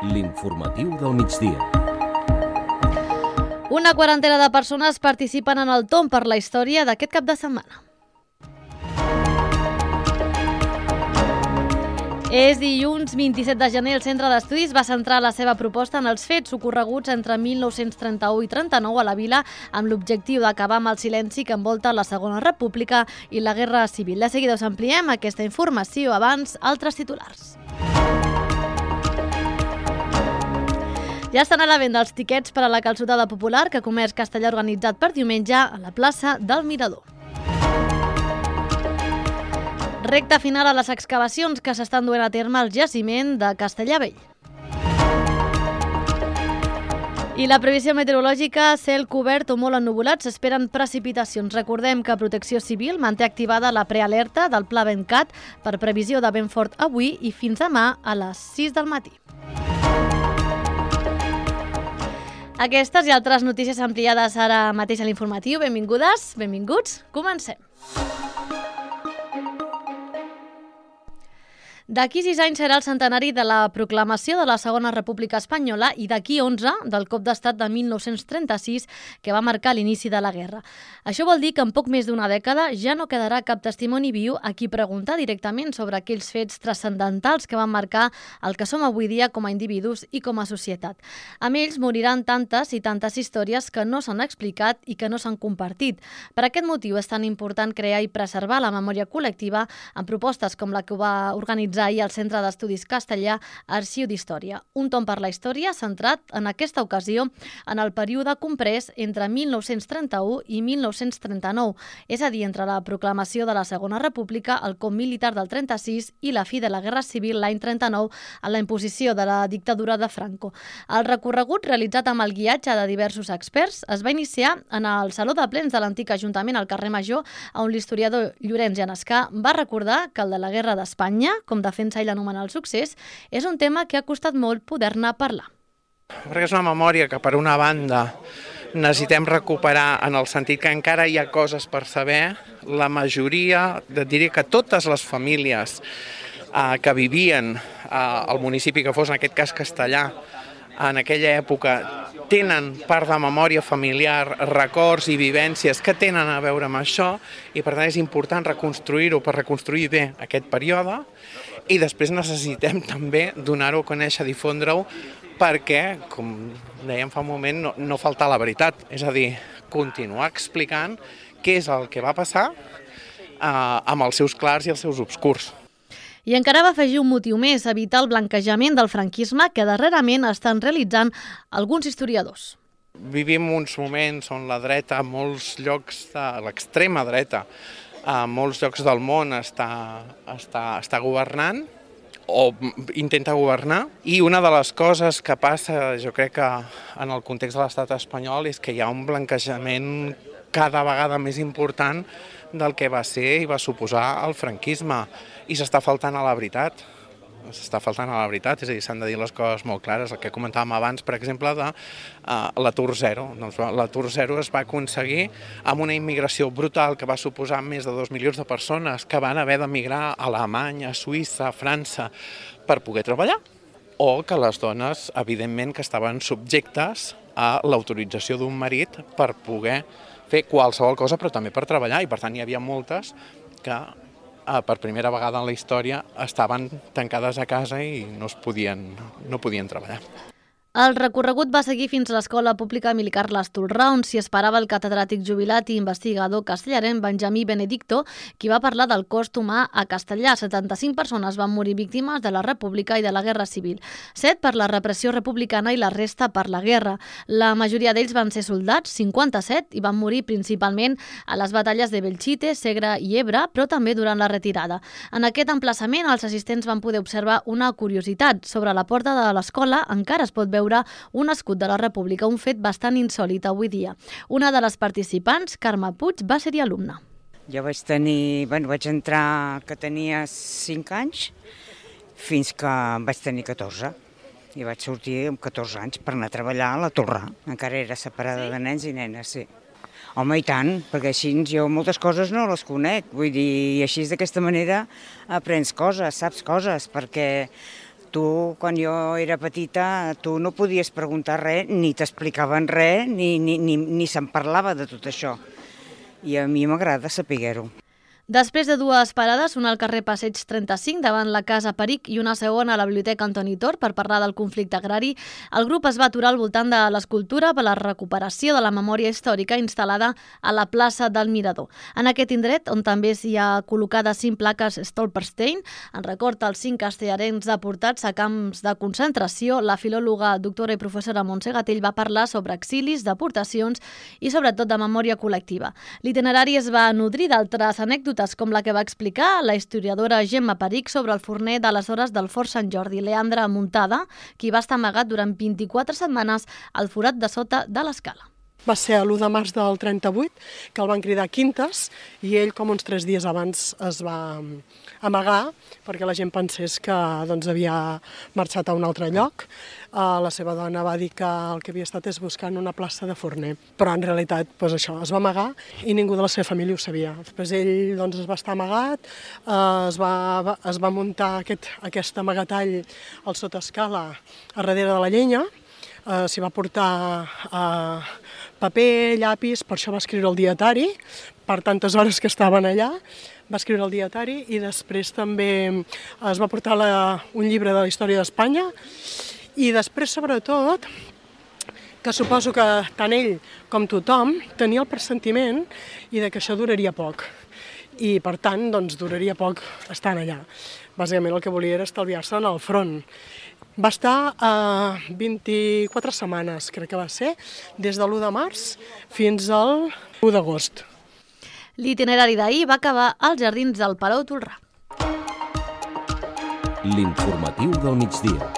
L'informatiu del migdia. Una quarantena de persones participen en el Tomb per la història d'aquest cap de setmana. És dilluns 27 de gener. El Centre d'Estudis va centrar la seva proposta en els fets ocorreguts entre 1931 i 39 a la vila amb l'objectiu d'acabar amb el silenci que envolta la Segona República i la Guerra Civil. De seguida us ampliem aquesta informació. Abans, altres titulars. Ja estan a la venda els tiquets per a la calçotada popular que Comerç Castellà ha organitzat per diumenge a la plaça del Mirador. Recta final a les excavacions que s'estan duent a terme al jaciment de Castellar Vell. I la previsió meteorològica, cel cobert o molt ennuvolat, s'esperen precipitacions. Recordem que Protecció Civil manté activada la prealerta del Pla Ventcat per previsió de vent fort avui i fins demà a les 6 del matí. Aquestes i altres notícies ampliades ara mateix a l'informatiu. Benvingudes, benvinguts, comencem. D'aquí 6 anys serà el centenari de la proclamació de la Segona República Espanyola i d'aquí 11 del cop d'estat de 1936 que va marcar l'inici de la guerra. Això vol dir que en poc més d'una dècada ja no quedarà cap testimoni viu a qui preguntar directament sobre aquells fets transcendentals que van marcar el que som avui dia com a individus i com a societat. Amb ells moriran tantes i tantes històries que no s'han explicat i que no s'han compartit. Per aquest motiu és tan important crear i preservar la memòria col·lectiva amb propostes com la que va organitzar ahir al Centre d'Estudis Castellà Arxiu d'Història. Un tomb per la història centrat en aquesta ocasió en el període comprès entre 1931 i 1939, és a dir, entre la proclamació de la Segona República, el cop militar del 36 i la fi de la Guerra Civil l'any 39 a la imposició de la dictadura de Franco. El recorregut, realitzat amb el guiatge de diversos experts, es va iniciar en el Saló de Plens de l'antic Ajuntament al carrer Major, on l'historiador Llorenç Llanescà va recordar que el de la Guerra d'Espanya, com defensa ell anomenar el succés, és un tema que ha costat molt poder-ne parlar. Perquè és una memòria que, per una banda, necessitem recuperar en el sentit que encara hi ha coses per saber. La majoria, diré que totes les famílies que vivien al municipi que fos, en aquest cas Castellar, en aquella època, tenen part de memòria familiar, records i vivències que tenen a veure amb això i per tant és important reconstruir-ho per reconstruir bé aquest període i després necessitem també donar-ho a conèixer, difondre-ho perquè, com dèiem fa un moment, no faltar la veritat, és a dir, continuar explicant què és el que va passar amb els seus clars i els seus obscurs. I encara va afegir un motiu més, evitar el blanquejament del franquisme que darrerament estan realitzant alguns historiadors. Vivim uns moments on la dreta, a molts llocs de l'extrema dreta, a molts llocs del món està governant o intenta governar. I una de les coses que passa, jo crec que en el context de l'estat espanyol, és que hi ha un blanquejament cada vegada més important del que va ser i va suposar el franquisme. I s'està faltant a la veritat. És a dir, s'han de dir les coses molt clares. El que comentàvem abans, per exemple, de l'atur zero. Doncs l'atur zero es va aconseguir amb una immigració brutal que va suposar més de 2 milions de persones que van haver d'emigrar a Alemanya, a Suïssa, a França per poder treballar. O que les dones, evidentment, que estaven subjectes a l'autorització d'un marit per poder fer qualsevol cosa, però també per treballar. I per tant hi havia moltes que per primera vegada en la història estaven tancades a casa i no podien treballar. El recorregut va seguir fins a l'Escola Pública Emili Carles Tolrà, on s'hi esperava el catedràtic jubilat i investigador castellarenc Benjamí Benedicto, qui va parlar del cost humà a Castellar. 75 persones van morir víctimes de la República i de la Guerra Civil, 7 per la repressió republicana i la resta per la guerra. La majoria d'ells van ser soldats, 57, i van morir principalment a les batalles de Belchite, Segre i Ebre, però també durant la retirada. En aquest emplaçament, els assistents van poder observar una curiositat. Sobre la porta de l'escola encara es pot veure un escut de la República, un fet bastant insòlit avui dia. Una de les participants, Carme Puig, va ser-hi alumna. Jo vaig entrar que tenia 5 anys fins que vaig tenir 14 i vaig sortir amb 14 anys per anar a treballar a la Tolrà. Encara era separada de nens i nenes, sí. Home, i tant, perquè així jo moltes coses no les conec, vull dir, i així d'aquesta manera aprens coses, saps coses, perquè Tu, quan jo era petita, tu no podies preguntar res, ni t'explicaven res, ni se'n parlava de tot això. I a mi m'agrada saber-ho. Després de dues parades, una al carrer Passeig 35 davant la Casa Peric i una segona a la Biblioteca Antoni Tor per parlar del conflicte agrari, el grup es va aturar al voltant de l'escultura per la recuperació de la memòria històrica instal·lada a la plaça del Mirador. En aquest indret, on també s'hi ha col·locades 5 plaques Stolperstein, en record als 5 castellarencs deportats a camps de concentració, la filòloga, doctora i professora Montse Gatell va parlar sobre exilis, deportacions i sobretot de memòria col·lectiva. L'itinerari es va nodrir d'altres anècdotes com la que va explicar la historiadora Gemma Peric sobre el forner d'aleshores del Fort Sant Jordi, Leandre Muntada, qui va estar amagat durant 24 setmanes al forat de sota de l'escala. Va ser l'1 de març del 38, que el van cridar Quintes, i ell, com uns 3 dies abans, es va amagar perquè la gent pensés que havia marxat a un altre lloc. La seva dona va dir que el que havia estat és buscant una plaça de forner, però en realitat això, es va amagar i ningú de la seva família ho sabia. Després ell es va estar amagat, es va muntar aquest amagatall al sotescala a darrere de la llenya, s'hi va portar paper, llapis, per això va escriure el dietari, per tantes hores que estaven allà, va escriure el dietari i després també es va portar un llibre de la història d'Espanya i després, sobretot, que suposo que tant ell com tothom tenia el pressentiment i que això duraria poc. I, per tant, duraria poc estant allà. Bàsicament el que volia era estalviar-se en el front. Va estar 24 setmanes, crec que va ser, des de l'1 de març fins al 1 d'agost. L'itinerari d'ahir va acabar als jardins del Palau Tolrà. L'informatiu del migdia.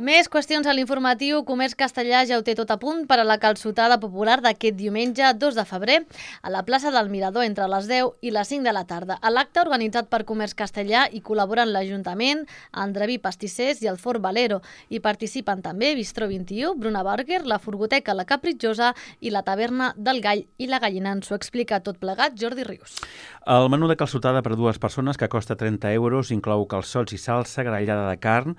Més qüestions a l'informatiu. Comerç Castellà ja ho té tot a punt per a la calçotada popular d'aquest diumenge 2 de febrer a la plaça del Mirador entre les 10 i les 5 de la tarda. A l'acte organitzat per Comerç Castellà hi col·laboren l'Ajuntament, Andreví Pastissers i el Fort Valero. Hi participen també Bistró 21, Bruna Burger, la Furgoteca La Capritjosa i la Taverna del Gall i la Gallina. Ens ho explica tot plegat Jordi Rius. El menú de calçotada per a 2 persones, que costa 30 euros, inclou calçots i salsa, grallada de carn,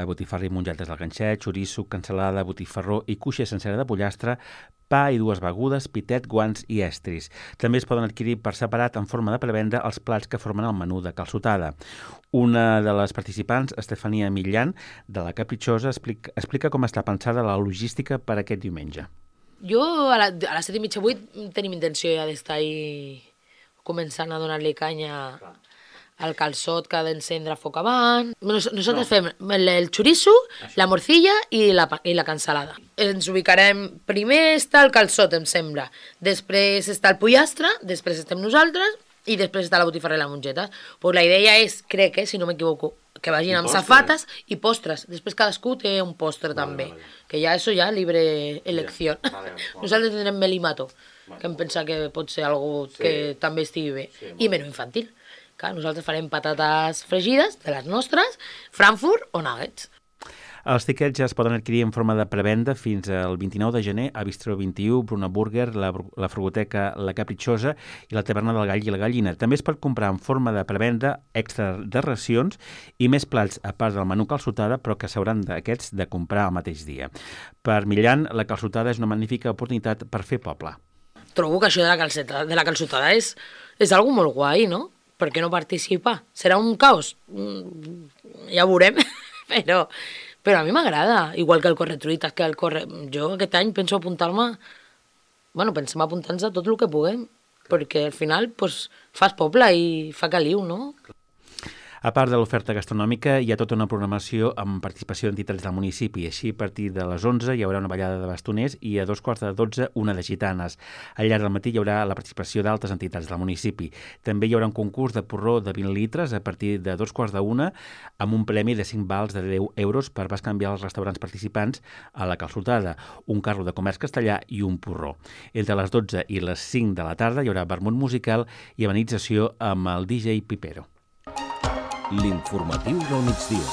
botifarra i mongetes del ganxet, xoriço, cansalada, botifarró i cuixa sencera de pollastre, pa i 2 begudes, pitet, guants i estris. També es poden adquirir per separat en forma de prevenda els plats que formen el menú de calçotada. Una de les participants, Estefania Millan, de La Capritjosa, explica com està pensada la logística per aquest diumenge. Jo a les 7:30, 8 tenim intenció ja d'estar ahí començant a donar-li canya al calçot que ha d'encendre foc avant. Nosaltres fem el xoriço, la morcilla i la cansalada. Ens ubicarem, primer està el calçot, em sembla, després està el pollastre, després estem nosaltres i després està la botifarra i la mongeta. Pues la idea és, crec, si no m'equivoco, que vagin amb safates i postres. Després cadascú té un postre també, que ja això ja libre elecció. Nosaltres tindrem melimato, que em pensa que pot ser algo que també estigui bé, i menú infantil. Clar, nosaltres farem patates fregides, de les nostres, Frankfurt o nuggets. Els tiquets ja es poden adquirir en forma de prevenda fins al 29 de gener a Bistró 21, Bruna Burger, la Furgoteca La Capritjosa i la Taverna del Gall i la Gallina. També es pot comprar en forma de prevenda extra de racions i més plats a part del menú calçotada, però que s'hauran d'aquests de comprar el mateix dia. Per Millan, la calçotada és una magnífica oportunitat per fer poble. Trobo que això de la calçotada és algo molt guai, no? Per què no participar? Serà un caos? Ja ho veurem, però a mi m'agrada, igual que el corretruites, que el corre... Jo aquest any penso apuntar-me... pensem apuntar-nos a tot el que puguem, perquè al final fas poble i fa caliu, no? A part de l'oferta gastronòmica, hi ha tota una programació amb participació d'entitats del municipi. Així, a partir de les 11 hi haurà una ballada de bastoners i a 2:45 una de gitanes. Al llarg del matí hi haurà la participació d'altres entitats del municipi. També hi haurà un concurs de porró de 20 litres a partir de 2:45 amb un premi de 5 vals de 10 euros per bescanviar els restaurants participants a la calçotada, un carro de comerç castellà i un porró. Entre les 12 i les 5 de la tarda hi haurà vermut musical i amenització amb el DJ Pipero. L'informatiu del migdia.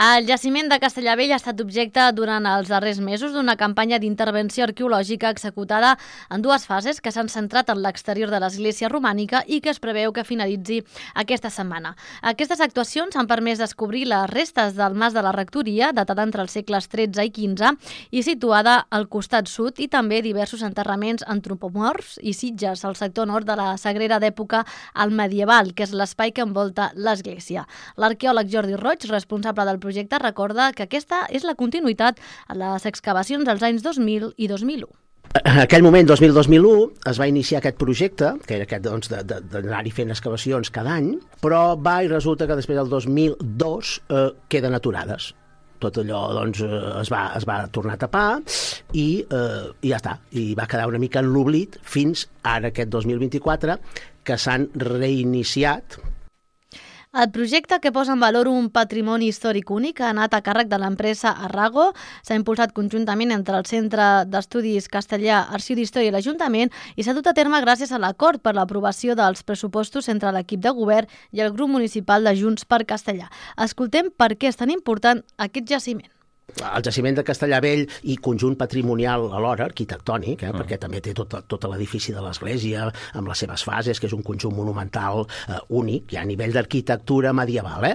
El jaciment de Castellavell ha estat objecte durant els darrers mesos d'una campanya d'intervenció arqueològica executada en dues fases que s'han centrat en l'exterior de l'església romànica i que es preveu que finalitzi aquesta setmana. Aquestes actuacions han permès descobrir les restes del mas de la rectoria, datada entre els segles XIII i XV i situada al costat sud, i també diversos enterraments antropomorfs i sitges al sector nord de la Sagrera d'època al medieval, que és l'espai que envolta l'església. L'arqueòleg Jordi Roig, responsable del projecte, recorda que aquesta és la continuïtat a les excavacions dels anys 2000 i 2001. En aquell moment, 2000-2001, es va iniciar aquest projecte, que era aquest d'anar-hi fent excavacions cada any, però va i resulta que després del 2002 queden aturades. Tot allò es va tornar a tapar i ja està. I va quedar una mica en l'oblit fins ara, aquest 2024, que s'han reiniciat. El projecte, que posa en valor un patrimoni històric únic, ha anat a càrrec de l'empresa Arrago. S'ha impulsat conjuntament entre el Centre d'Estudis Castellà, Arxiu d'Història i l'Ajuntament i s'ha dut a terme gràcies a l'acord per l'aprovació dels pressupostos entre l'equip de govern i el grup municipal de Junts per Castellà. Escoltem per què és tan important aquest jaciment. El jaciment de Castellavell i conjunt patrimonial alhora, arquitectònic, perquè també té tot l'edifici de l'església amb les seves fases, que és un conjunt monumental únic, ja a nivell d'arquitectura medieval.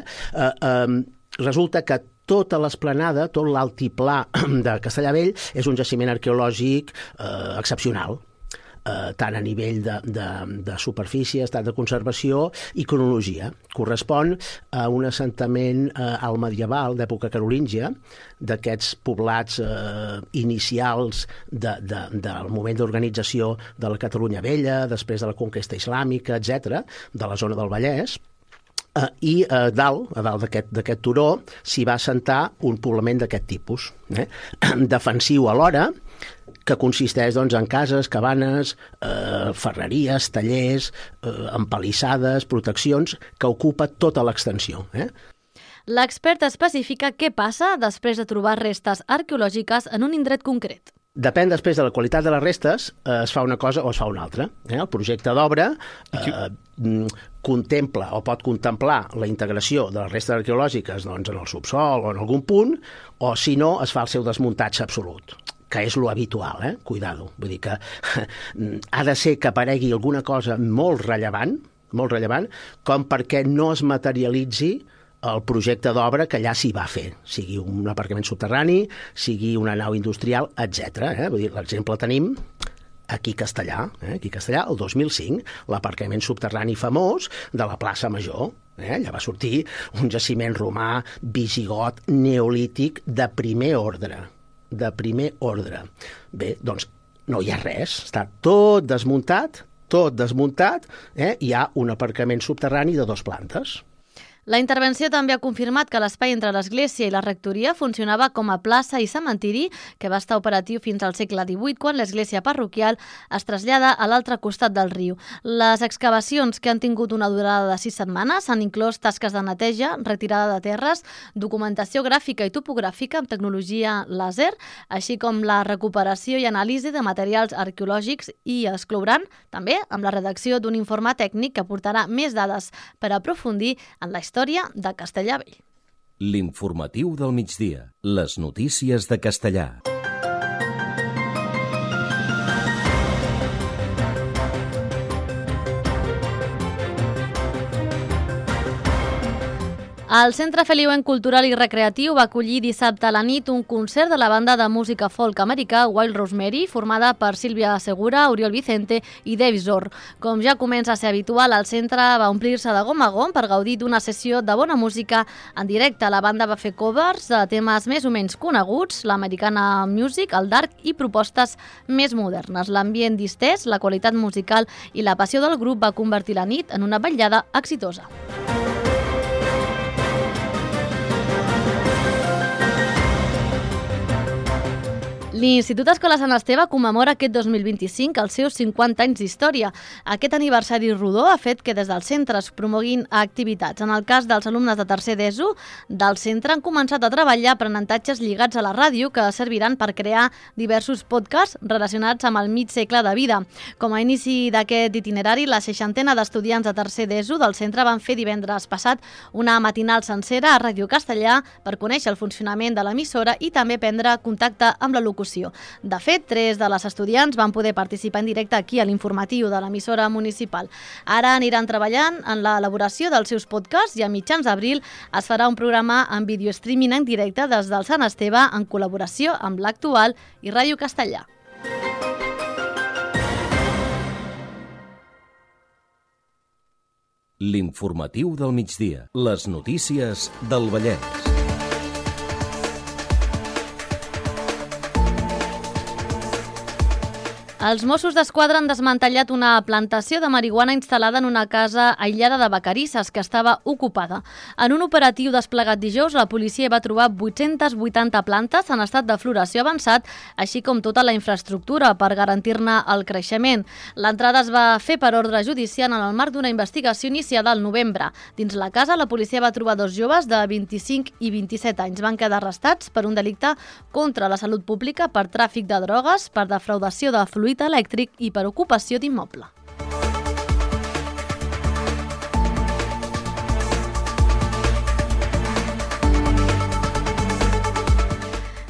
Resulta que tota l'esplanada, tot l'altiplà de Castellavell és un jaciment arqueològic excepcional, tant a nivell de superfície, estat de conservació i cronologia. Correspon a un assentament al medieval d'època carolíngia, d'aquests poblats inicials del moment d'organització de la Catalunya Vella, després de la conquesta islàmica, etc., de la zona del Vallès. I a dalt d'aquest turó, s'hi va assentar un poblament d'aquest tipus, defensiu alhora, que consisteix en cases, cabanes, ferreries, tallers, empalissades, proteccions, que ocupa tota l'extensió. L'expert especifica què passa després de trobar restes arqueològiques en un indret concret. Depèn després de la qualitat de les restes, es fa una cosa o es fa una altra. El projecte d'obra contempla o pot contemplar la integració de les restes arqueològiques en el subsol o en algun punt, o si no, es fa el seu desmuntatge absolut, que és lo habitual, cuidado. Vull dir que ha de ser que aparegui alguna cosa molt rellevant, com perquè no es materialitzi el projecte d'obra que allà s'hi va fer, sigui un aparcament subterrani, sigui una nau industrial, etc. Vull dir, l'exemple tenim aquí a Castellà, el 2005, l'aparcament subterrani famós de la plaça Major. Allà va sortir un jaciment romà, visigot, neolític, de primer ordre. Bé, doncs no hi ha res, està tot desmuntat, hi ha un aparcament subterrani de 2 plantes. La intervenció també ha confirmat que l'espai entre l'església i la rectoria funcionava com a plaça i cementiri, que va estar operatiu fins al segle XVIII, quan l'església parroquial es trasllada a l'altre costat del riu. Les excavacions, que han tingut una durada de 6 setmanes, han inclòs tasques de neteja, retirada de terres, documentació gràfica i topogràfica amb tecnologia làser, així com la recuperació i anàlisi de materials arqueològics, i exclouran també amb la redacció d'un informe tècnic que aportarà més dades per aprofundir en la història de Castellavell. L'informatiu del migdia. Les notícies de Castellà. El Centre Feliuenc Cultural i Recreatiu va acollir dissabte a la nit un concert de la banda de música folk americà Wild Rosemary, formada per Sílvia Segura, Oriol Vicente i Dave Zorr. Com ja comença a ser habitual, el centre va omplir-se de gom a gom per gaudir d'una sessió de bona música en directe. La banda va fer covers de temes més o menys coneguts, l'americana music, el dark i propostes més modernes. L'ambient distès, la qualitat musical i la passió del grup va convertir la nit en una vetllada exitosa. L'Institut Escola Sant Esteve commemora aquest 2025 els seus 50 anys d'història. Aquest aniversari rodó ha fet que des dels centres promoguin activitats. En el cas dels alumnes de tercer d'ESO, del centre han començat a treballar aprenentatges lligats a la ràdio que serviran per crear diversos podcasts relacionats amb el mig segle de vida. Com a inici d'aquest itinerari, la 60ena d'estudiants de tercer d'ESO del centre van fer divendres passat una matinal sencera a Ràdio Castellà per conèixer el funcionament de l'emissora i també prendre contacte amb la locució. De fet, 3 de les estudiants van poder participar en directe aquí a l'informatiu de l'emissora municipal. Ara aniran treballant en l'elaboració dels seus podcasts i a mitjans d'abril es farà un programa en vídeo streaming en directe des del Sant Esteve en col·laboració amb l'Actual i Ràdio Castellà. L'informatiu del migdia. Les notícies del Vallès. Els Mossos d'Esquadra han desmantellat una plantació de marihuana instal·lada en una casa aïllada de Vacarisses que estava ocupada. En un operatiu desplegat dijous, la policia va trobar 880 plantes en estat de floració avançat, així com tota la infraestructura per garantir-ne el creixement. L'entrada es va fer per ordre judicial en el marc d'una investigació iniciada al novembre. Dins la casa, la policia va trobar 2 joves de 25 i 27 anys. Van quedar arrestats per un delicte contra la salut pública, per tràfic de drogues, per defraudació de fluid elèctric i per ocupació d'immoble.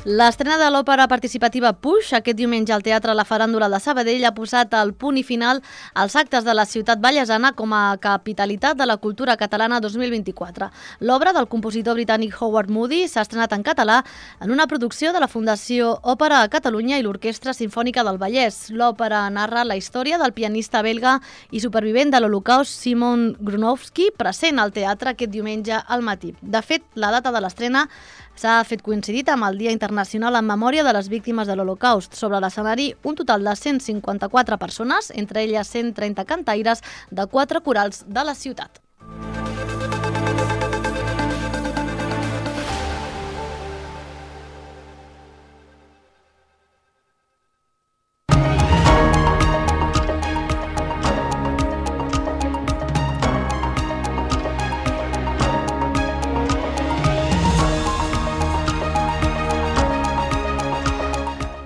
L'estrena de l'òpera participativa Puix aquest diumenge al Teatre La Faràndula de Sabadell ha posat el punt i final als actes de la ciutat vallesana com a capitalitat de la cultura catalana 2024. L'obra del compositor britànic Howard Moody s'ha estrenat en català en una producció de la Fundació Òpera a Catalunya i l'Orquestra Simfònica del Vallès. L'òpera narra la història del pianista belga i supervivent de l'Holocaust Simon Grunowski, present al teatre aquest diumenge al matí. De fet, la data de l'estrena s'ha fet coincidit amb el Dia Internacional en memòria de les víctimes de l'Holocaust. Sobre l'escenari, un total de 154 persones, entre elles 130 cantaires de 4 corals de la ciutat.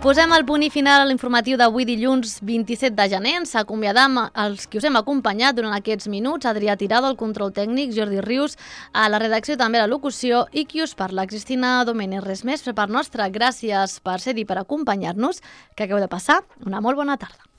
Posem el punt i final a l'informatiu d'avui dilluns 27 de gener. Ens acomiadam els que us hem acompanyat durant aquests minuts. Adrià Tirado, el control tècnic, Jordi Rius, a la redacció també a la locució i qui us parla, Cristina Domènech. Res més per part nostra. Gràcies per ser-hi, per acompanyar-nos. Que acabeu de passar una molt bona tarda.